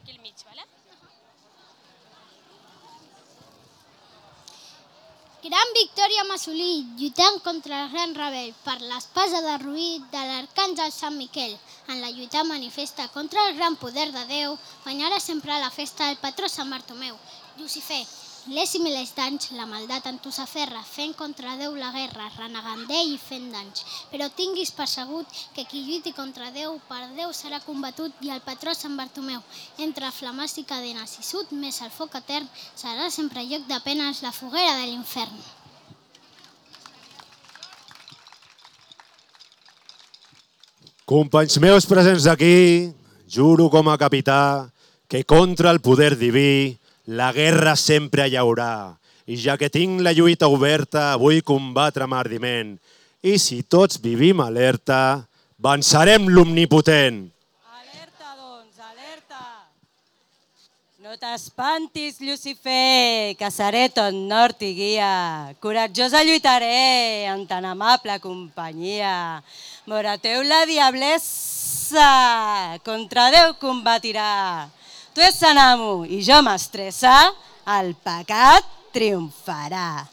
aquí al mig, vale? Gran victòria hem assolit, lluitant contra el gran rebel per l'espasa de Ruí de l'arcàngel Sant Miquel. En la lluita manifesta contra el gran poder de Déu, guanyarà sempre a la festa el patró Sant Bartomeu. Llucifer, milers i milers d'anys, la maldat en tu s'aferra, fent contra Déu la guerra, renegant d'ell i fent danys. Però tinguis persegut que qui lluiti contra Déu, per Déu serà combatut i el patró Sant Bartomeu. Entre flames i cadenes i sud més el foc etern, serà sempre lloc de penes la foguera de l'infern. Companys meus presents aquí, juro com a capità que contra el poder diví la guerra sempre hi haurà. I ja que tinc la lluita oberta, vull combatre amb ardiment. I si tots vivim alerta, vencerem l'omnipotent. Alerta, doncs, alerta! No t'espantis, Llucifer, que seré tot nord i guia. Coratjosa lluitaré en tan amable companyia. Morateu la diablessa, contra Déu combatirà. Tu ets Sant Amo i jo mestressa, el pecat triomfarà.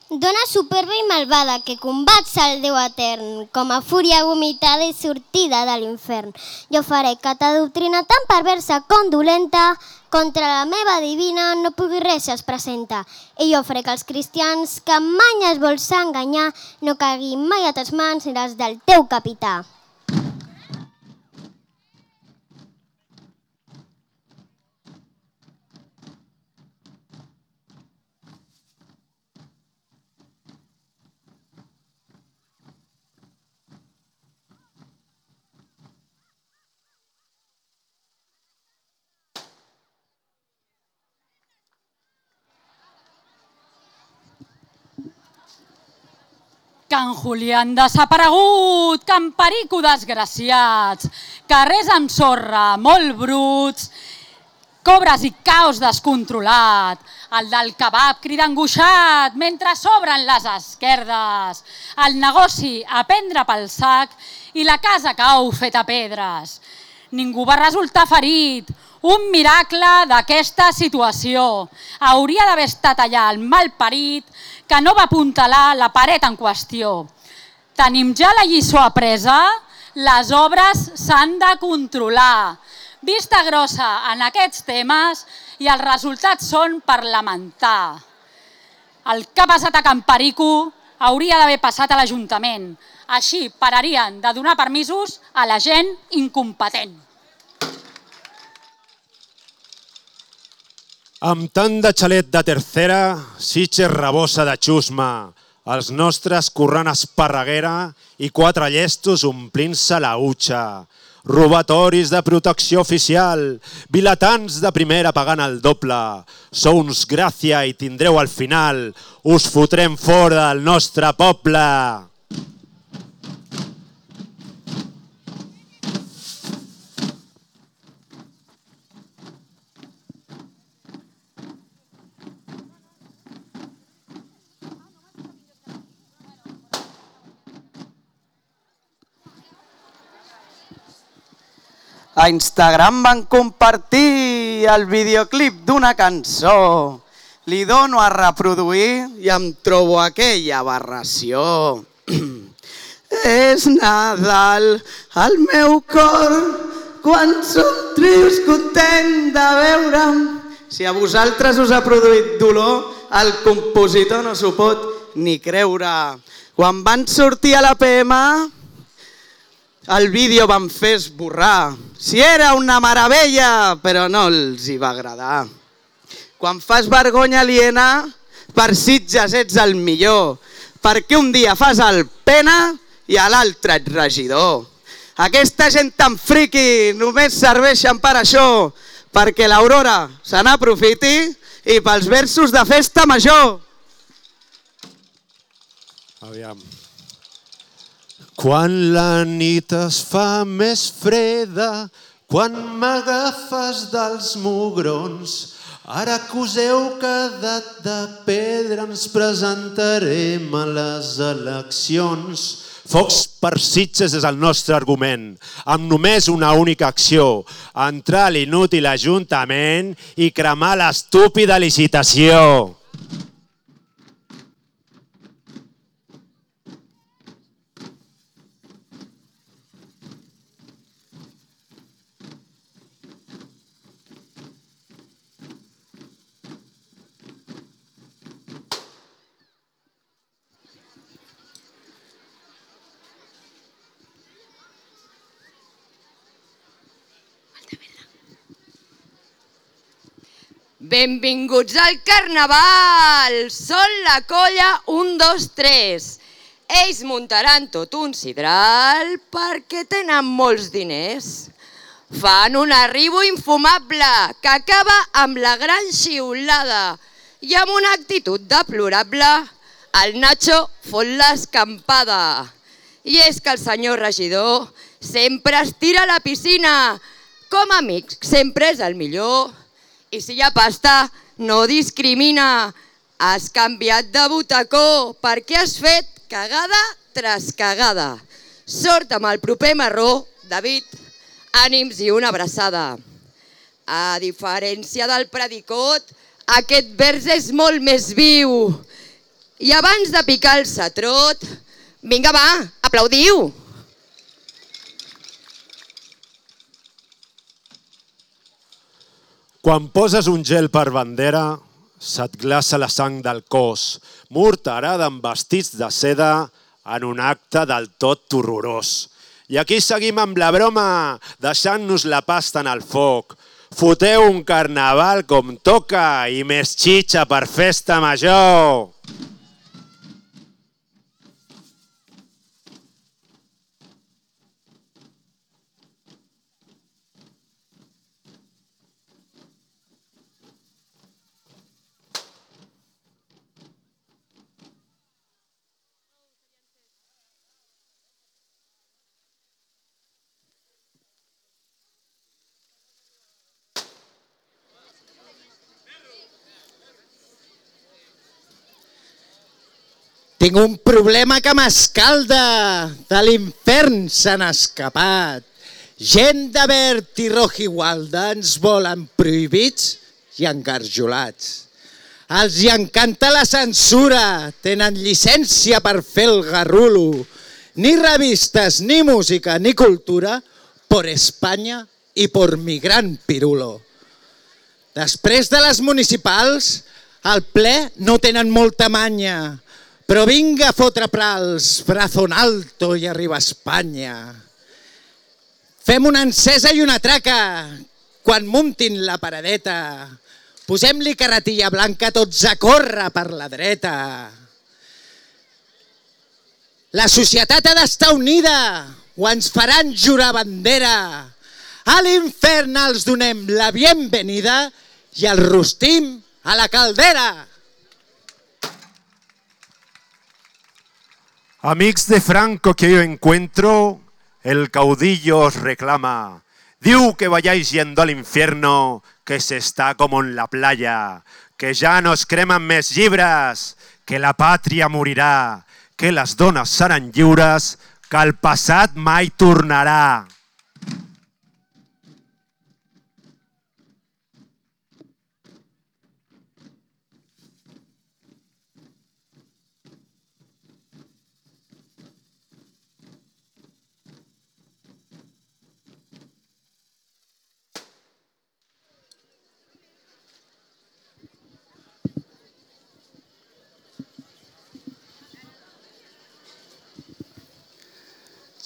Dona superba i malvada que combats el Déu etern, com a fúria vomitada i sortida de l'infern. Jo faré que ta doctrina tan perversa com dolenta, contra la meva divina no pugui res es presenta. I jo faré que els cristians que mai es vols enganyar no caiguin mai a tes mans ni les del teu capità. Can Julián desaparegut, Can Perico desgraciats, carrers amb sorra, molt bruts, cobres i caos descontrolat, el del kebab crida angoixat mentre s'obren les esquerdes, el negoci a prendre pel sac i la casa cau feta pedres. Ningú va resultar ferit, un miracle d'aquesta situació. Hauria d'haver estat allà el malparit que no va apuntalar la paret en qüestió. Tenim ja la lliçó apresa, les obres s'han de controlar. Vista grossa en aquests temes i els resultats són per lamentar. El que ha passat a Can Perico hauria d'haver passat a l'Ajuntament. Així pararien de donar permisos a la gent incompetent. Amb tant de xalet de tercera, Sitges rebossa de xusma, els nostres corrent esparreguera i 4 llestos omplint-se la hutxa. Robatoris de protecció oficial, vilatans de primera pagant el doble. Sou uns gràcia i tindreu al final, us fotrem fora del nostre poble. A Instagram van compartir el videoclip d'una cançó. Li dono a reproduir i em trobo aquella aberració. És Nadal al meu cor quan somrius content de veure'm. Si a vosaltres us ha produït dolor, el compositor no s'ho pot ni creure. Quan van sortir a la PM, el vídeo van fer esborrar. Si era una meravella, però no els hi va agradar. Quan fas vergonya aliena, per Sitges ets el millor, perquè un dia fas el pena i a l'altre ets regidor. Aquesta gent tan friqui només serveixen per això, perquè l'Aurora se n'aprofiti i pels versos de festa major. Aviam. Quan la nit es fa més freda, quan m'agafes dels mugrons, Ara que us heu quedat de pedra ens presentarem a les eleccions. Focs per Sitges és el nostre argument, amb només una única acció, entrar a l'inútil ajuntament i cremar l'estúpida licitació. Benvinguts al Carnaval! Són la colla 1, 2, 3. Ells muntaran tot un sidral perquè tenen molts diners. Fan un arribo infumable que acaba amb la gran xiulada i amb una actitud deplorable el Nacho fot l'escampada. I és que el senyor regidor sempre es tira a la piscina. Com a amic sempre és el millor. I si hi ha pasta, no discrimina. Has canviat de butacó perquè has fet cagada tras cagada. Sort amb el proper marró, David, ànims i una abraçada. A diferència del predicot, aquest vers és molt més viu. I abans de picar el satrot, vinga va, aplaudiu! Quan poses un gel per bandera, se't glaça la sang del cos, morterada amb vestits de seda en un acte del tot horrorós. I aquí seguim amb la broma, deixant-nos la pasta en el foc. Foteu un carnaval com toca i més xitxa per festa major. Tinc un problema que m'escalda, de l'infern s'han escapat. Gent de verd i roja igualda ens volen prohibits i engarjolats. Els hi encanta la censura, tenen llicència per fer el garrulo. Ni revistes, ni música, ni cultura, por España i por mi gran pirulo. Després de les municipals, al ple no tenen molta manya, però vinga a fotre prals, brazo en alto i arriba a Espanya. Fem una encesa i una traca, quan muntin la paradeta. Posem-li carretilla blanca tots a córrer per la dreta. La societat ha d'estar unida o ens faran jurar bandera. A l'infern els donem la bienvenida i el rostim a la caldera. Amics de Franco que yo encuentro, el caudillo os reclama. Diu que vayáis yendo al infierno, que se está como en la playa, que ya nos creman més llibres, que la pàtria morirà, que les dones seran lliures, que el passat mai tornarà.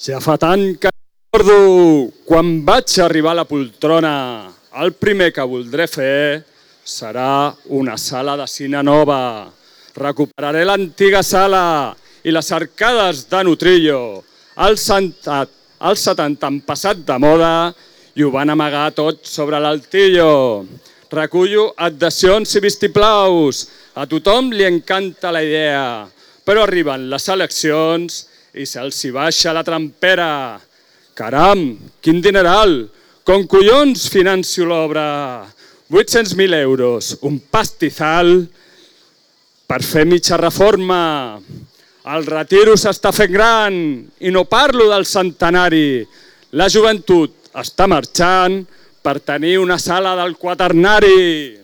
Ja fa tant que recordo, quan vaig arribar a la poltrona, el primer que voldré fer serà una sala de cine nova. Recuperaré l'antiga sala i les arcades de Nutrillo. Els 70 han passat de moda i ho van amagar tot sobre l'altillo. Recullo adhesions i vistiplaus. A tothom li encanta la idea, però arriben les eleccions i se'ls hi baixa la trampera. Caram, quin dineral! Com collons financio l'obra? 800.000 euros, un pastizal per fer mitja reforma. El retiro s'està fent gran i no parlo del centenari. La joventut està marxant per tenir una sala del quaternari.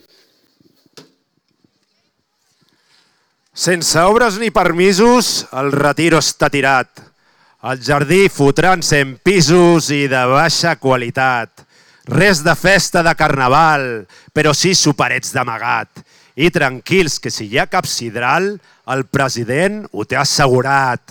Sense obres ni permisos, el retiro està tirat. El jardí fotran 100 pisos i de baixa qualitat. Res de festa de carnaval, però sí superets d'amagat. I tranquils, que si hi ha cap sidral, el president ho té assegurat.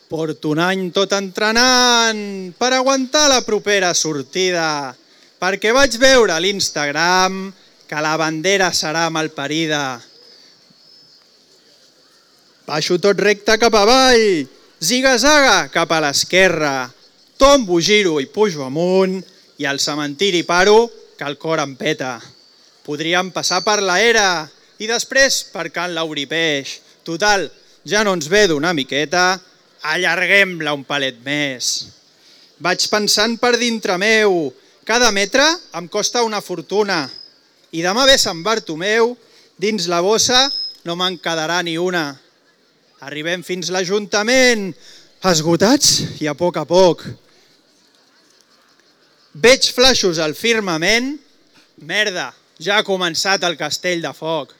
Porto un any tot entrenant per aguantar la propera sortida, perquè vaig veure a l'Instagram que la bandera serà malparida. Baixo tot recte cap avall, ziga-zaga cap a l'esquerra, tombo, giro i pujo amunt i al cementiri paro que el cor em peta. Podríem passar per la era i després per Can Lauripeix. Total, ja no ens ve d'una miqueta, allarguem-la un palet més. Vaig pensant per dintre meu, cada metre em costa una fortuna i demà ve Sant Bartomeu, dins la bossa no me'n quedarà ni una. Arribem fins l'Ajuntament, esgotats i a poc. Veig flaixos al firmament, merda, ja ha començat el castell de foc.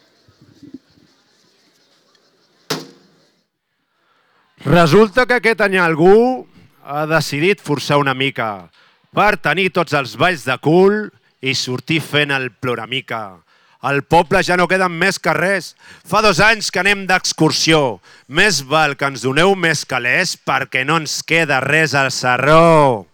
Resulta que aquest any algú ha decidit forçar una mica per tenir tots els balls de cul i sortir fent el ploramica. Al poble ja no queden més carrers. Fa 2 anys que anem d'excursió. Més val que ens doneu més calés perquè no ens queda res al sarró.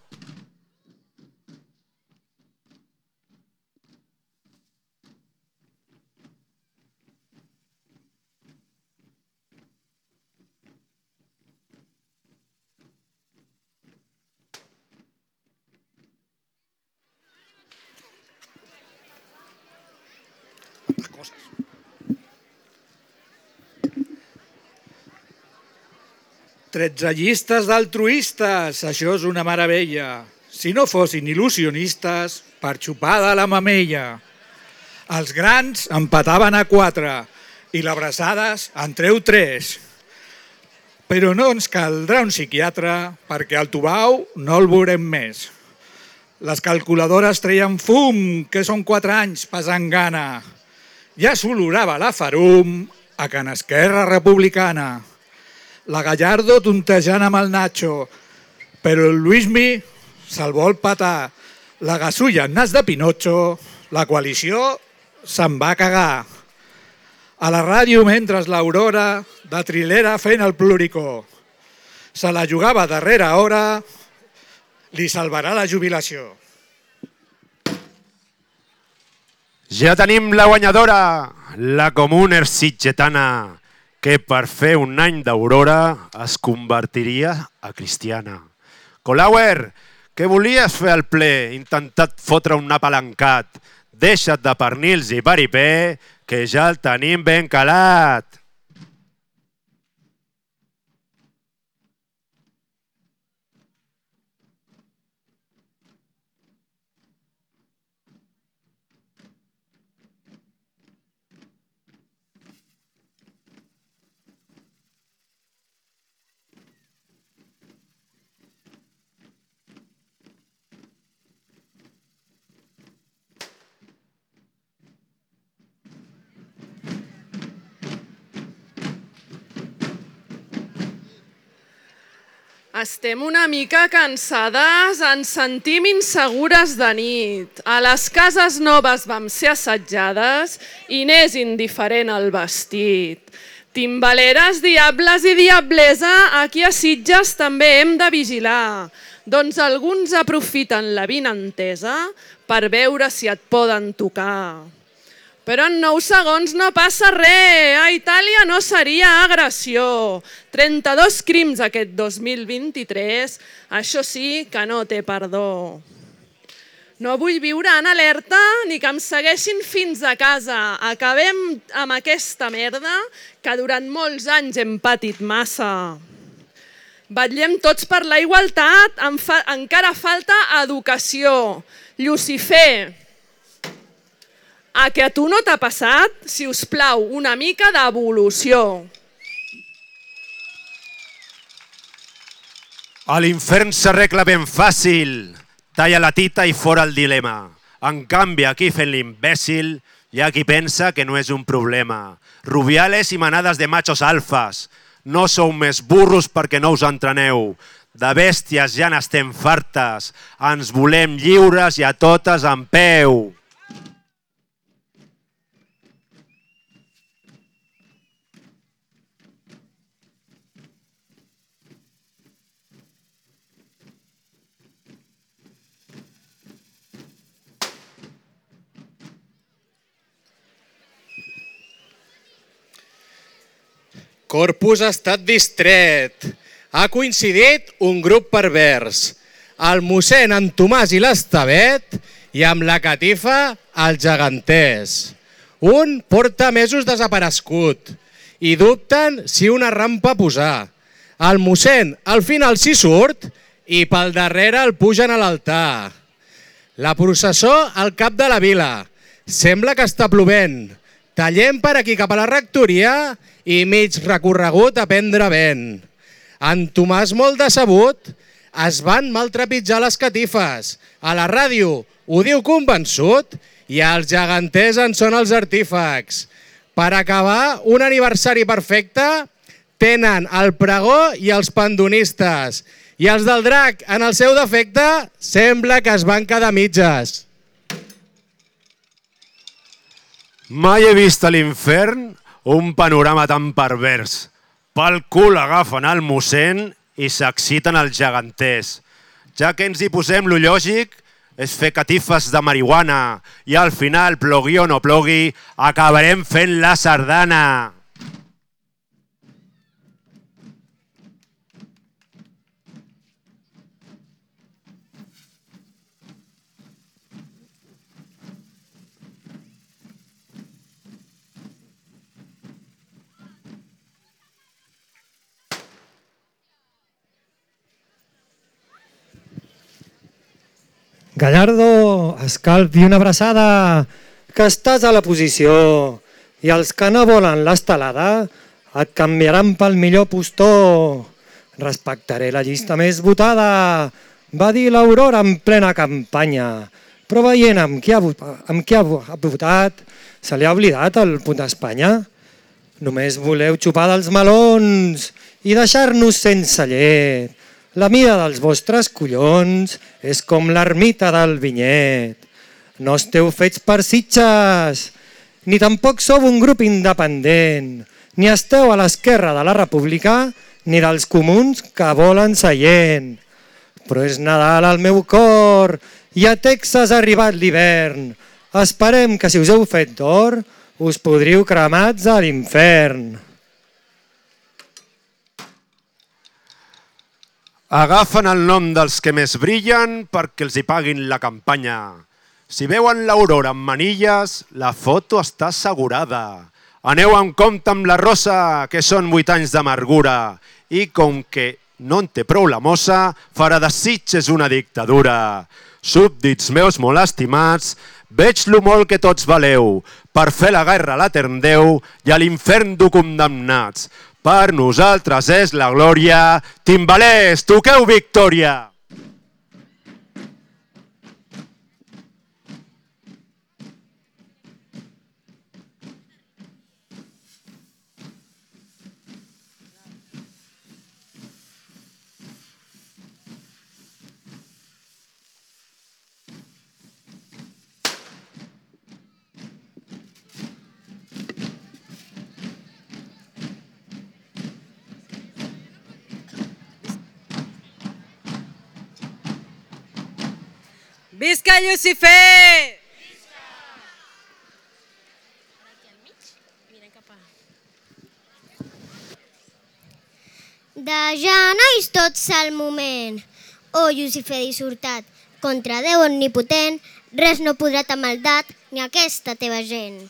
Tretze llistes d'altruistes, això és una meravella. Si no fossin il·lusionistes, per xupar de la mamella. Els grans empataven a 4 i l'abraçades en treu 3. Però no ens caldrà un psiquiatre perquè al Tubau no el veurem més. Les calculadores treien fum, que són 4 anys pesant gana. Ja s'olorava la Farum a Can Esquerra Republicana. La Gallardo tontejant amb el Nacho, però el Luismi se'l vol patar. La Gasulla en nas de Pinocho, la coalició se'n va cagar. A la ràdio, mentre l'Aurora, de trilera fent el pluricó. Se la jugava a darrera hora, li salvarà la jubilació. Ja tenim la guanyadora, la Comuner sitgetana, que per fer un any d'aurora es convertiria a cristiana. Colauer, que volies fer al ple, intentat fotre un apalancat. Deixa't de pernils i paripé, que ja el tenim ben calat. Estem una mica cansades, ens sentim insegures de nit. A les cases noves vam ser assetjades i n'és indiferent el vestit. Timbaleres, diables i diablesa, aquí a Sitges també hem de vigilar. Doncs alguns aprofiten la vinentesa per veure si et poden tocar. Però en 9 segons no passa res. A Itàlia no seria agressió. 32 crims aquest 2023. Això sí que no té perdó. No vull viure en alerta ni que em segueixin fins a casa. Acabem amb aquesta merda que durant molts anys hem patit massa. Vetllem tots per la igualtat, encara falta educació. Lucifer, a que a tu no t'ha passat? Si us plau, una mica d'evolució. A l'infern s'arregla ben fàcil. Talla la tita i fora el dilema. En canvi, aquí fent l'imbècil, hi ha qui pensa que no és un problema. Rubiales i manades de machos alfas. No sou més burros perquè no us entreneu. De bèsties ja n'estem fartes. Ens volem lliures i a totes en peu. Corpus ha estat distret. Ha coincidit un grup pervers. El mossèn en Tomàs i l'Estavet i amb la catifa el gegantès. Un porta mesos desaparegut i dubten si una rampa posar. El mossèn al final s'hi surt i pel darrere el pugen a l'altar. La processó al cap de la vila. Sembla que està plovent. Tallem per aquí cap a la rectoria i mig recorregut a prendre vent. En Tomàs, molt decebut, es van maltrepitjar les catifes. A la ràdio ho diu convençut i els geganters en són els artífecs. Per acabar un aniversari perfecte, tenen el pregó i els pandonistes. I els del drac, en el seu defecte, sembla que es van quedar mitges. Mai he vist a l'infern un panorama tan pervers. Pel cul agafen el mossèn i s'exciten els geganters. Ja que ens hi posem, lo lògic és fer catifes de marihuana i al final, plogui o no plogui, acabarem fent la sardana. Gallardo, escalf i una abraçada, que estàs a la posició i els que no volen l'estelada et canviaran pel millor postor. Respectaré la llista més votada, va dir l'Aurora en plena campanya, però veient amb qui ha votat, se li ha oblidat el punt d'Espanya. Només voleu xupar dels melons i deixar-nos sense llet. La mida dels vostres collons és com l'ermita del vinyet. No esteu fets per sitges, ni tampoc sou un grup independent, ni esteu a l'esquerra de la República, ni dels comuns que volen seient. Però és Nadal al meu cor i a Texas ha arribat l'hivern. Esperem que si us heu fet d'or us podríeu cremats a l'infern. Agafen el nom dels que més brillen perquè els hi paguin la campanya. Si veuen l'aurora amb manilles, la foto està assegurada. Aneu amb compte amb la rosa, que són 8 anys d'amargura. I com que no en té prou la mossa, farà de Sitges una dictadura. Súbdits meus molt estimats, veig lo molt que tots valeu. Per fer la guerra a l'etern Déu i a l'infern dur condemnats. Per nosaltres és la glòria. Timbalers, toqueu victòria! Visca Lucifer! ja, nois, tots al moment. Oh, Llucifer dissortat, contra Déu omnipotent, res no podrà ta maldat ni aquesta teva gent.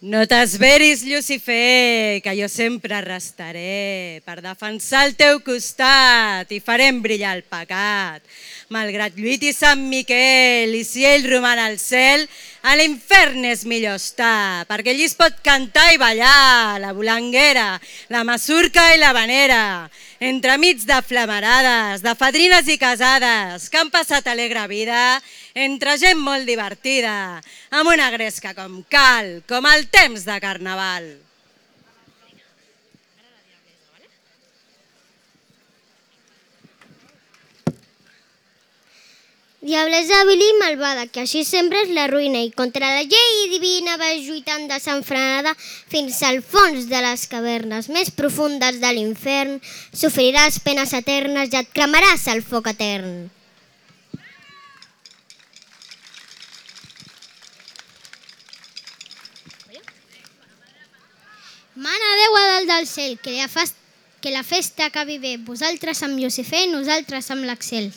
No t'esveris, Llucifer, que jo sempre restaré per defensar el teu costat i farem brillar el pecat. Malgrat lluiti Sant Miquel i si ell roman al cel, a l'infern és millor estar, perquè allí es pot cantar i ballar la volanguera, la masurca i la vanera, entremig de flamarades, de fadrines i casades, que han passat alegre vida entre gent molt divertida, amb una gresca com cal, com el temps de Carnaval. Diablesa vil i malvada, que així sempre és la ruïna i contra la llei divina vas lluitant desenfrenada fins al fons de les cavernes més profundes de l'infern. Sofriràs penes eternes i et cremaràs al foc etern. Mana Déu a dalt del cel, que la festa acabi bé. Vosaltres amb Llucifer, nosaltres amb l'Axel.